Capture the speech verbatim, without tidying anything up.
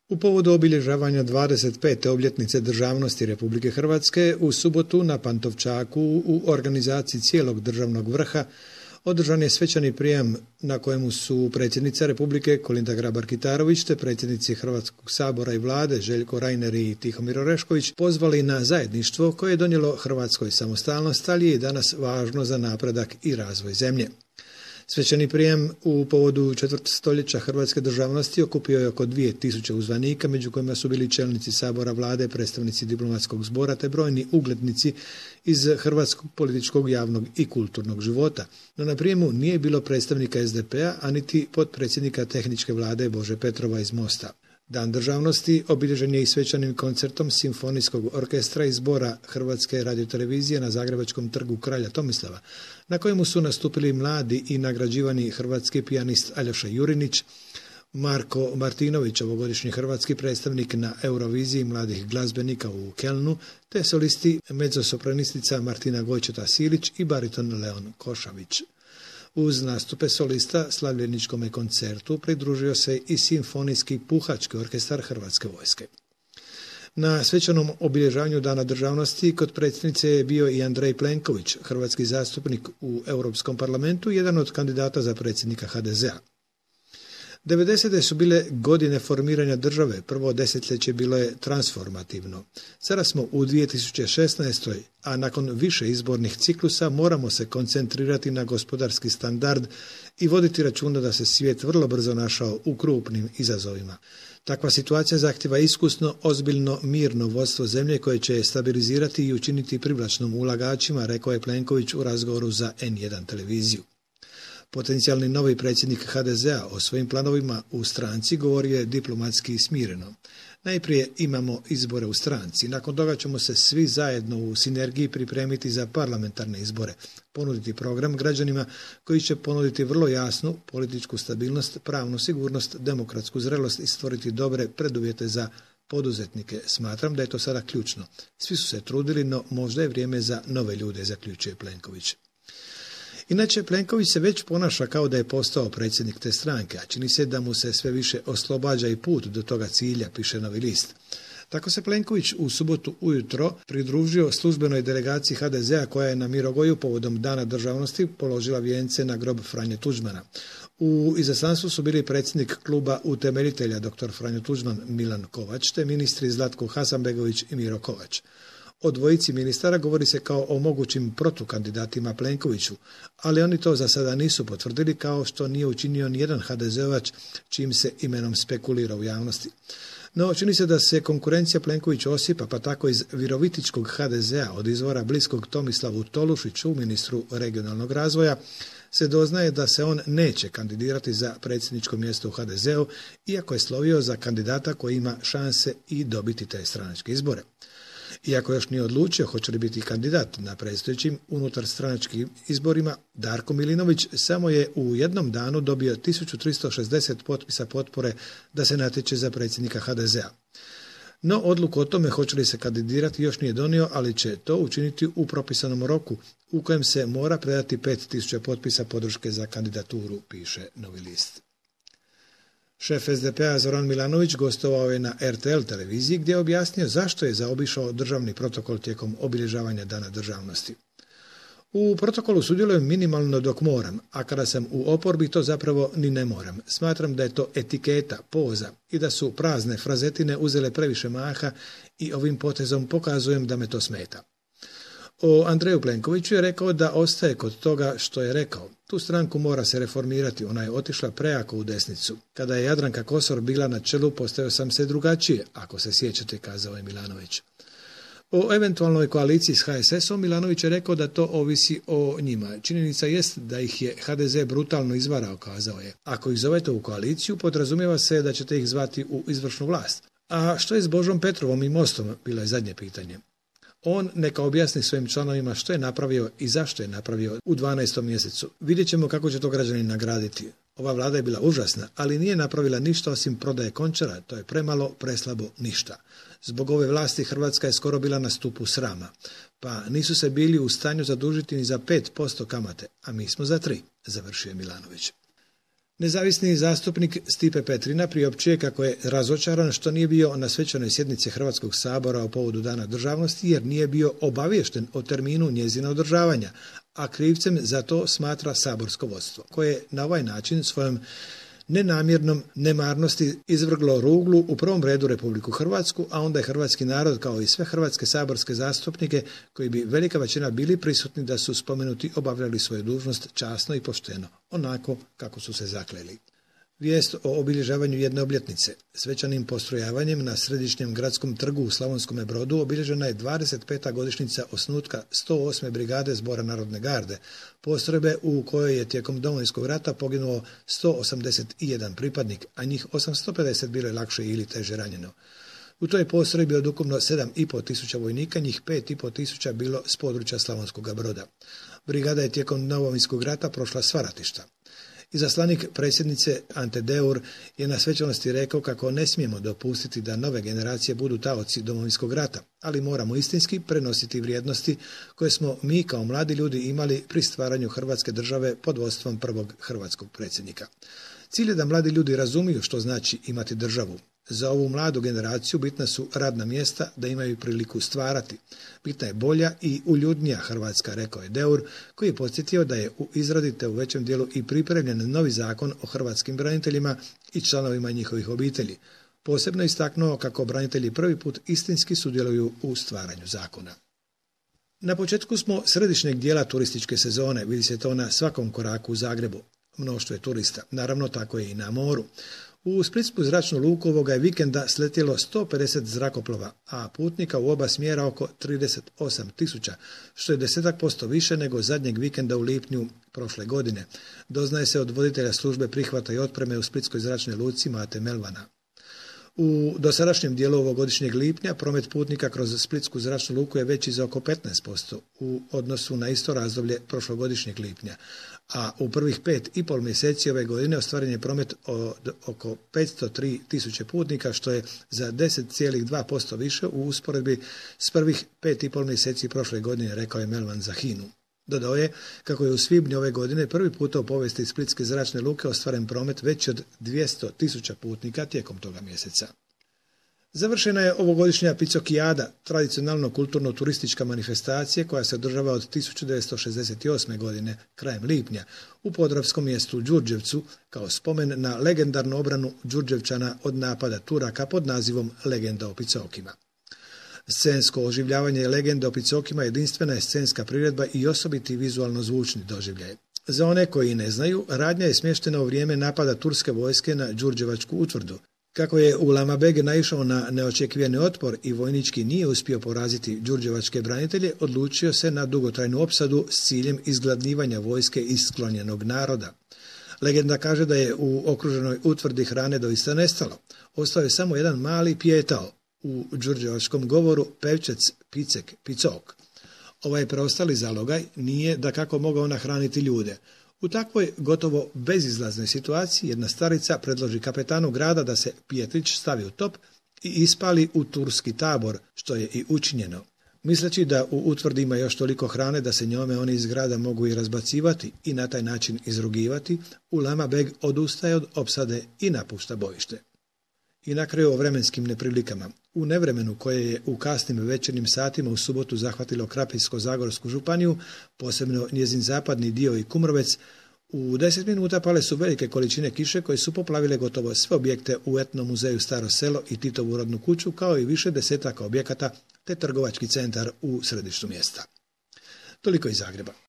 U povodu obilježavanja dvadeset pete obljetnice državnosti Republike Hrvatske u subotu na Pantovčaku u organizaciji cijelog državnog vrha održan je svečani prijem na kojemu su predsjednica Republike Kolinda Grabar-Kitarović te predsjednici Hrvatskog sabora i vlade Željko Reiner i Tihomir Orešković pozvali na zajedništvo koje je donijelo Hrvatskoj samostalnost, ali je i danas važno za napredak i razvoj zemlje. Svečani prijem u povodu četvrtstoljeća hrvatske državnosti okupio je oko dvije tisuće uzvanika, među kojima su bili čelnici sabora, vlade, predstavnici diplomatskog zbora te brojni uglednici iz hrvatskog političkog, javnog i kulturnog života. No na prijemu nije bilo predstavnika es de pe-a, a niti potpredsjednika tehničke vlade Bože Petrova iz Mosta. Dan državnosti obilježen je i svečanim koncertom Simfonijskog orkestra i zbora Hrvatske radiotelevizije na Zagrebačkom trgu Kralja Tomislava, na kojemu su nastupili mladi i nagrađivani hrvatski pijanist Aljoša Jurinić, Marko Martinović, ovogodišnji hrvatski predstavnik na Euroviziji mladih glazbenika u Kelnu, te solisti mezzosopranistica Martina Gojčeta-Silić i bariton Leon Košavić. Uz nastupe solista slavljeničkom koncertu pridružio se i Simfonijski puhački orkestar Hrvatske vojske. Na svečanom obilježavanju Dana državnosti kod predsjednice je bio i Andrej Plenković, hrvatski zastupnik u Europskom parlamentu, jedan od kandidata za predsjednika ha de zea. devedesete su bile godine formiranja države, prvo desetljeće bilo je transformativno. Sada smo u dvije tisuće šesnaestoj. a nakon više izbornih ciklusa moramo se koncentrirati na gospodarski standard i voditi računa da se svijet vrlo brzo našao u krupnim izazovima. Takva situacija zahtjeva iskusno, ozbiljno, mirno vodstvo zemlje koje će je stabilizirati i učiniti privlačnom ulagačima, rekao je Plenković u razgovoru za en jedan televiziju. Potencijalni novi predsjednik ha de zea o svojim planovima u stranci govorio je diplomatski i smireno. Najprije imamo izbore u stranci, nakon toga ćemo se svi zajedno u sinergiji pripremiti za parlamentarne izbore, ponuditi program građanima koji će ponuditi vrlo jasnu političku stabilnost, pravnu sigurnost, demokratsku zrelost i stvoriti dobre preduvjete za poduzetnike. Smatram da je to sada ključno. Svi su se trudili, no možda je vrijeme za nove ljude, zaključuje Plenković. Inače, Plenković se već ponaša kao da je postao predsjednik te stranke, a čini se da mu se sve više oslobađa i put do toga cilja, piše Novi list. Tako se Plenković u subotu ujutro pridružio službenoj delegaciji ha de zea koja je na Mirogoju povodom Dana državnosti položila vijence na grob Franje Tuđmana. U izaslanstvu su bili predsjednik kluba utemeljitelja dr. Franjo Tuđman Milan Kovač te ministri Zlatko Hasanbegović i Miro Kovač. O dvojici ministara govori se kao o mogućim protukandidatima Plenkoviću, ali oni to za sada nisu potvrdili, kao što nije učinio nijedan ha de zeovac čim se imenom spekulira u javnosti. No, čini se da se konkurencija Plenkoviću osipa, pa tako iz virovitičkog ha de zea od izvora bliskog Tomislavu Tolušiću, ministru regionalnog razvoja, se doznaje da se on neće kandidirati za predsjedničko mjesto u ha de zeu, iako je slovio za kandidata koji ima šanse i dobiti te stranačke izbore. Iako još nije odlučio hoće li biti kandidat na predstojećim unutar stranačkim izborima, Darko Milinović samo je u jednom danu dobio tisuću tristo šezdeset potpisa potpore da se natječe za predsjednika ha de zea. No, odluku o tome hoće li se kandidirati još nije donio, ali će to učiniti u propisanom roku u kojem se mora predati pet tisuća potpisa podrške za kandidaturu, piše Novi list. Šef es de pe-a Zoran Milanović gostovao je na er te el televiziji gdje je objasnio zašto je zaobišao državni protokol tijekom obilježavanja Dana državnosti. U protokolu sudjelujem minimalno dok moram, a kada sam u oporbi to zapravo ni ne moram. Smatram da je to etiketa, poza i da su prazne frazetine uzele previše maha i ovim potezom pokazujem da me to smeta. O Andreju Plenkoviću je rekao da ostaje kod toga što je rekao. Tu stranku mora se reformirati, ona je otišla prejako u desnicu. Kada je Jadranka Kosor bila na čelu, postavio sam se drugačije, ako se sjećate, kazao je Milanović. O eventualnoj koaliciji s ha es esom Milanović je rekao da to ovisi o njima. Činjenica jest da ih je ha de ze brutalno izvarao, kazao je. Ako ih zovete u koaliciju, podrazumijeva se da ćete ih zvati u izvršnu vlast. A što je s Božom Petrovom i Mostom, bilo je zadnje pitanje. On neka objasni svojim članovima što je napravio i zašto je napravio u dvanaestom mjesecu. Vidjet ćemo kako će to građani nagraditi. Ova vlada je bila užasna, ali nije napravila ništa osim prodaje Končara, to je premalo, preslabo, ništa. Zbog ove vlasti Hrvatska je skoro bila na stupu srama, pa nisu se bili u stanju zadužiti ni za pet posto kamate, a mi smo za tri, završio Milanović. Nezavisni zastupnik Stipe Petrina priopćuje kako je razočaran što nije bio na svečanoj sjednici Hrvatskog sabora o povodu Dana državnosti jer nije bio obaviješten o terminu njezina održavanja, a krivcem za to smatra saborsko vodstvo, koje na ovaj način svojom nenamjernom nemarnosti izvrglo ruglu u prvom redu Republiku Hrvatsku, a onda je hrvatski narod kao i sve hrvatske saborske zastupnike koji bi velika većina bili prisutni da su spomenuti obavljali svoju dužnost časno i pošteno, onako kako su se zakleli. Vijest o obilježavanju jedne obljetnice. Svečanim postrojavanjem na središnjem gradskom trgu u Slavonskome Brodu obilježena je dvadeset peta godišnjica osnutka sto osme brigade Zbora narodne garde, postrojbe u kojoj je tijekom Domovinskog rata poginuo sto osamdeset jedan pripadnik, a njih osamsto pedeset bilo je lakše ili teže ranjeno. U toj postrojbi od ukupno sedam i pol tisuća vojnika, njih pet i pol tisuća bilo s područja Slavonskog Broda. Brigada je tijekom Domovinskog rata prošla sva ratišta. Izaslanik predsjednice Ante Deur je na svečanosti rekao kako ne smijemo dopustiti da nove generacije budu taoci Domovinskog rata, ali moramo istinski prenositi vrijednosti koje smo mi kao mladi ljudi imali pri stvaranju Hrvatske države pod vodstvom prvog hrvatskog predsjednika. Cilj je da mladi ljudi razumiju što znači imati državu. Za ovu mladu generaciju bitna su radna mjesta da imaju priliku stvarati. Bitna je bolja i uljudnija Hrvatska, rekao je Deur, koji je podsjetio da je u izradi te u većem dijelu i pripremljen novi zakon o hrvatskim braniteljima i članovima njihovih obitelji. Posebno istaknuo kako branitelji prvi put istinski sudjeluju u stvaranju zakona. Na početku smo središnjeg dijela turističke sezone, vidi se to na svakom koraku u Zagrebu. Mnoštvo je turista, naravno tako je i na moru. U Splitsku zračnu luku ovoga je vikenda sletjelo sto pedeset zrakoplova, a putnika u oba smjera oko trideset osam tisuća, što je desetak posto više nego zadnjeg vikenda u lipnju prošle godine. Doznaje se od voditelja službe prihvata i otpreme u Splitskoj zračnoj luci Mate Melvana. U dosadašnjem dijelu ovogodišnjeg lipnja promet putnika kroz Splitsku zračnu luku je veći za oko petnaest posto u odnosu na isto razdoblje prošlogodišnjeg lipnja, a u prvih pet i pol mjeseci ove godine ostvaren je promet od oko petsto tri tisuće putnika, što je za deset zarez dva posto više u usporedbi s prvih pet i pol mjeseci prošle godine, rekao je Melvan za Hinu. Dodao je kako je u svibnju ove godine prvi puta u povijesti Splitske zračne luke ostvaren promet veći od dvjesto tisuća putnika tijekom toga mjeseca. Završena je ovogodišnja Picokijada, tradicionalno kulturno-turistička manifestacija koja se održava od tisuću devetsto šezdeset osme. godine, krajem lipnja, u podravskom mjestu Đurđevcu, kao spomen na legendarnu obranu Đurđevčana od napada Turaka pod nazivom Legenda o Picokima. Scensko oživljavanje legende o Picokima jedinstvena je scenska priredba i osobiti vizualno-zvučni doživljaj. Za one koji ne znaju, radnja je smještena u vrijeme napada turske vojske na Đurđevačku utvrdu. Kako je Ulama Beg naišao na neočekivani otpor i vojnički nije uspio poraziti đurđevačke branitelje, odlučio se na dugotrajnu opsadu s ciljem izgladnjivanja vojske iz sklonjenog naroda. Legenda kaže da je u okruženoj utvrdi hrane doista nestalo. Ostao je samo jedan mali pijetao, u đurđevačkom govoru pevčec Picek, Picok. Ovaj preostali zalogaj nije da kako mogao nahraniti ljude. U takvoj gotovo bezizlaznoj situaciji jedna starica predloži kapetanu grada da se pijetrić stavi u top i ispali u turski tabor, što je i učinjeno. Misleći da u utvrdi ima još toliko hrane da se njome oni iz grada mogu i razbacivati i na taj način izrugivati, Ulama Beg odustaje od opsade i napušta bojište. I na kraju o vremenskim neprilikama. U nevremenu koje je u kasnim večernjim satima u subotu zahvatilo Krapinsko-zagorsku županiju, posebno njezin zapadni dio i Kumrovec, u deset minuta pale su velike količine kiše koje su poplavile gotovo sve objekte u etnom muzeju Staro selo i Titovu rodnu kuću, kao i više desetaka objekata te trgovački centar u središtu mjesta. Toliko iz Zagreba.